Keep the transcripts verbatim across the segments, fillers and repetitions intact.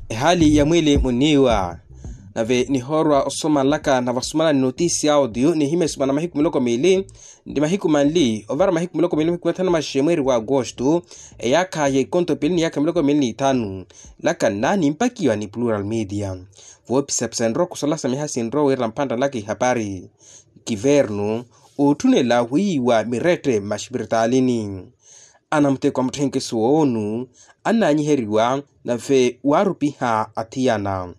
Ehaali ya mwiili muniiwa. Nave nihoorwa osoma nlaka na vasumana ni notisi ya audio nihimya esumana mahiku miloko miili nti mahiku manli ovara mahiku miloko miili mahiku mathanu maxexe mweeri wa agosto, eyaakha ya ikonto piili ni yaakha miloko miili ni ithanu. Nlaka nna nimpakiwa ni plural media. Voopisapisanrwa okusola sa miha sinrwa wiira mpantta nlaka ihapari. Kivernu ootthunela wiiwa mirette mmaxipiritalini. Anamuteko a mutthenkeso woonu annaanyiheriwa nave waarupiha athiyana.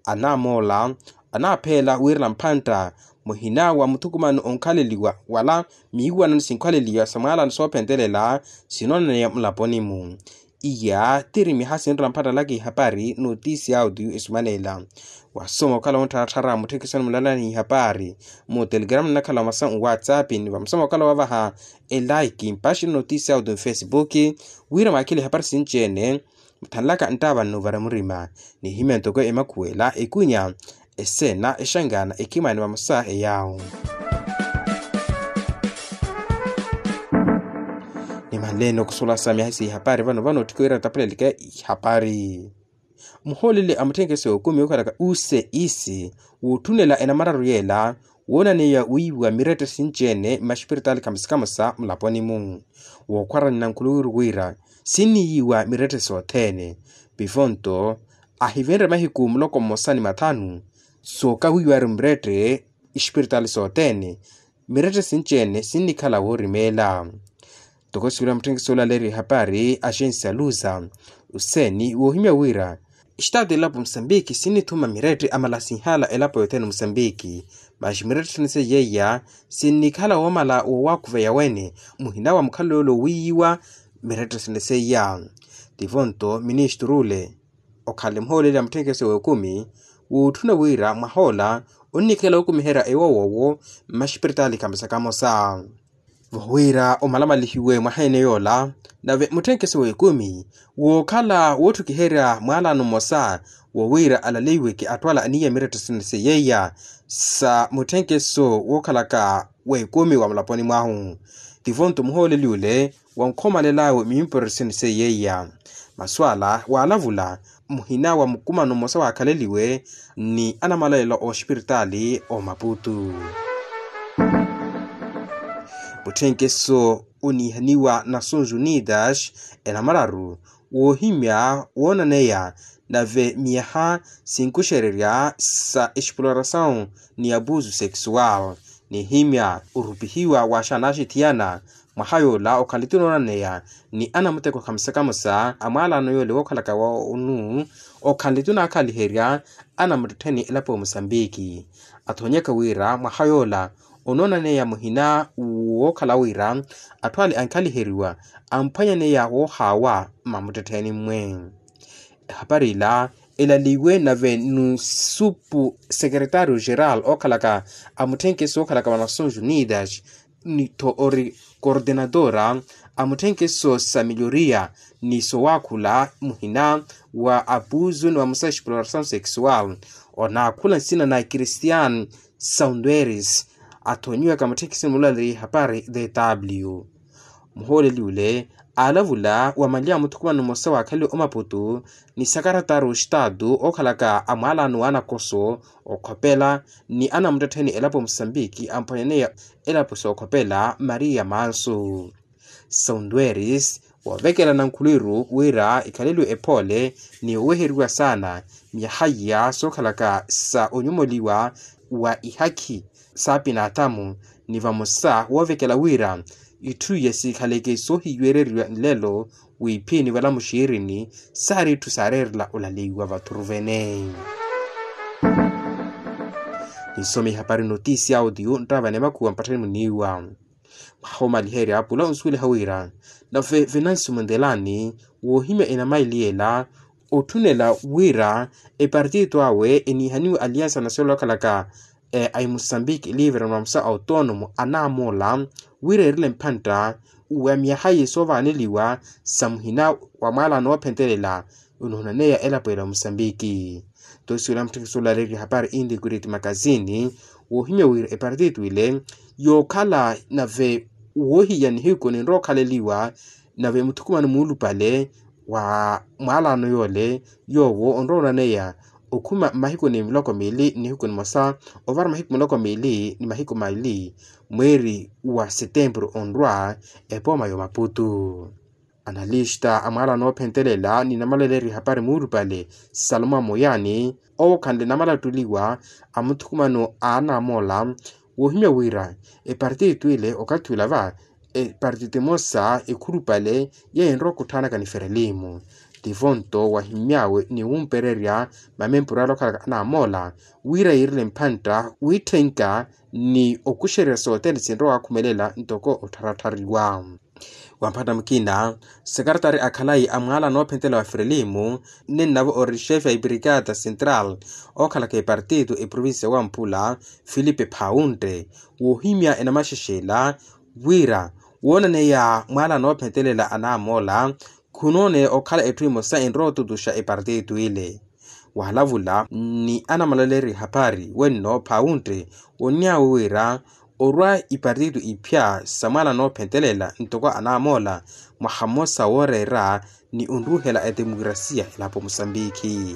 Anamoola anaapheela wiirela mphantta muhina wa muthukumano onkhaleliwa wala miiwanano sinkhaleliwa sa mwaalano soophentelela sinoonaneya mulaponi-mu. Iya tiri miha sinrela mpattalaka ihapari notisi ya audio esumaneela. Wasoma okhala wonttharattharya mutthekesoni mulalani ihapari mu telegrama nnakhala wa masa nwatsapp ni vamusoma okhala wavaha elaiki mpaxi notisi ya audio mfesibuki wira mwakhile ihapari sinci-ene. Muthanlaka nttaava nnuuvara murima nihimya ntoko emakhuwela ekunya eseena exangana ekhimani vamosa eyaawo. Nimanleeni okusulasa myaha sihapari vano vano otthikha wira ntaphuleleke ihapari. Muhooleli a mutthenkeso wa ekumi okhalaka useisi wootthunela enamararu yeela woonaniya wiiwa mirette sinci-ene mmaxipiritaali kamosa kamosa mulaponi-mu. Wookhwarani nankhuluwiru wira sinniyiwa mirette sothene. Pivo nto ahivenrye mahiku muloko mmosa ni mathanu sookawiiwari mmirette ixipiritaali sothene. Mirette sinci-ene sinnikhala woorimeela. Toko siwira mutthenkeso olaleeriwa ehapari axensi aluza useeni woohimya wira exitaatu elapo musambiki sinnithuma mirette amala sinhala elapo yothene musambiki. Maxi mirette sene seiya iya sinnikhala woomala wowakhuveya wene muhina wa mukhalelo yoole owiiyiwa. Mirette sene seiya tivo nto ministru ole okhale muhooleli a mutthenkeso w'ekumi wootthuna wira mwahoola onnikhala wokumiherya ewowowo mmaxipiritaali kamosa kamosa. Vowira omalamalihiwe mwaha ene yoola nave mutthenkeso w'ekumi wookhala woottukiherya mwaalano mmosa wowiira alaleiweke attwala aniya mirette sene seiya iya sa mutthenkeso wookhalaka w'ekumi wa mulaponi mwahu. Tivo nto muhooleli ole wankhomalel'awe mimpureryo sene seiya iya. Masu ala waalavula muhina wa mukumano mmosa waakhaleliwe ni anamalaelo a oxipiritaali omaputu. Mutthenkeso oniihaniwa nações unidas enamararu woohimya woonaneya nave miyaha sinkuxererya sa exploração ni abuso sexual nihimya orupihiwa wa xanaxithiyana mwaha yoola okhaleti onoonaneya ni anamuteko khamusakamusa a mwaalano yoole wookhalaka wonu okhaleti onaakhaliherya anamuttettheni elapo ya musambiki. Athoonyaka wira mwaha yoola onoonaneya muhina wookhala wira atthu ale ankhaliheriwa amphwanyaneya woohaawa mmamuttettheni mmwe. Ehapari ila elaliwe nave nusupu sekeretario geral okhalaka a mutthenkeso okhalaka va nações unidas ni tho ori kordenadora a mutthenkeso sa miloriya ni sowaakhula muhina wa abuso ni vamosa exploração sexual onaakhula nsina na christian saundweris. Athoonyiwaka mutthenkeso mulaleeriye hapari dw muhooleli ole aalavula wa mali a muthukumano mmosa waakhaliwe omaputu ni sakaratari oxitaatu ookhalaka a mwaalano wa anakoso okhopela ni anamuttettheni elapo musambiki amphwanyaneya elapo sookhopela maria mansu. Saundweris woovekela nankhuluwiru wira ikhaleliwe ephoole ni oweheriwa saana miyaha iya sookhalaka sa onyumoliwa wa ihakhi saapinaathamu ni vamosa woovekela wira itthu iya siikhaleke soohiiwereriwa nlelo wiiphini vala muxiirini saari itthu saareerela olaleiwa vathuruvene. Ninsome ihapari notisi ya audio nttaavane makhuwa mpatthani muniiwa. Mwaha omaliherya pula onsuweliha wira nave venansi mundelani woohimya enamaili ela otthunela wira epartito awe eniihaniwe aliansa nasiola okhalaka a imusambiki livre na musa autonoomo anaamoola wira eerile mphantta wa myaha iye soovaaneliwa sa muhina wa mwaalano woophentelela onoonaneya elapo ela omusambiki. Tosiwela mutthekisi olaleeriwa hapari inti kuriti makasini woohimya wira epartito ile yookhala nave woohiya nihiku ninrowa okhaleliwa nave muthukumano muulupale Wa mwaalano yoole yoowo onrowa onaneya okhuma mmahiku ni miloko miili nihiku nimosa, ovara mahiku miloko miili ni mahiku maili mweeri wa setempuru onrwa epooma y'omaputu. Analista a mwaalano oophentelela ni namaleleri hapari muulupale, salomo amoyaani owo khanle namalattuliwa a muthukumano a anamoola, woohimya wira epartito ile okathi ula va epartito emosa ekhulupale yeenrowa okhutthanaka ni ferelimu. Tivo nto wahimmyawe ni wumpererya mamempuru ale okhalaka anamoola wira yiirile mphantta wiitthenka ni okuxererya sothene sinrowa wakhumelela ntoko ottharattariwa. Wa mphatta mukina, sekaratari a khalayi a mwaala noophentela wa frelimu, nnennavo ori xefe a ibrikata central ookhalaka epartito eprovincia wa mpula, filipe phauntte, woohimya enamaxexela wira woonaneya mwaala noophentelela anamoola khunooneya okhala etthu emosa enrowa otutuxa epartito ile. Wahalavula ni anamaleleri hapari wenno phauntte, wonnyawe wira orwa ipartito iphya sa mwaala noophentelela ntoko anamoola mwaha mmosa wooreera ni onruuhela etemokrasiya elapo musambikhi.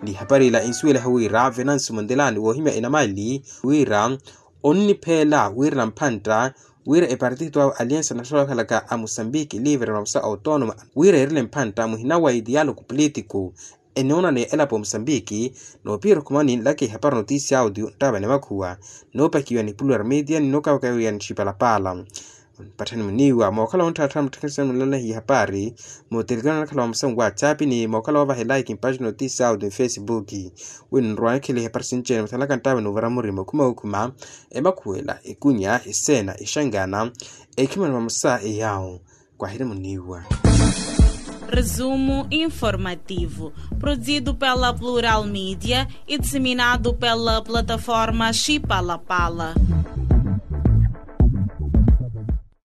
Ni hapari ila insuweliha wira venansi mundelani woohimya enamali wira onnipheela wira na mphantta wira epartito awo aliansa naxola okhalaka a musambiki livre mamusa autonoma wira eerile mphantta muhina wa idialogo politiku enoonaniya elapo musambiki. Noopiira okhumani nlaka ihapari notisia audio nttaavani makhuwa noopakiwa ni plural media ni nookawakawiwa ni xipalapala. Mpatthani muniiwa mookhala wontthattha mutthekeseni mulalehi ihapari mutelekano anakhala wa musamu whatsapp ni mookhala woovahela ikimpatthi notisia audio ni facebook. Wino nrwanekhela ihapari sinci-ene muthalaka nttaavani ovara murima okhuma okhuma emakhuwela ekunya eseena exangana ekhimani mamusa eyawo. Kwahiri muniiwa. Resumo informativo, produzido pela plural media e disseminado pela plataforma xipalapala.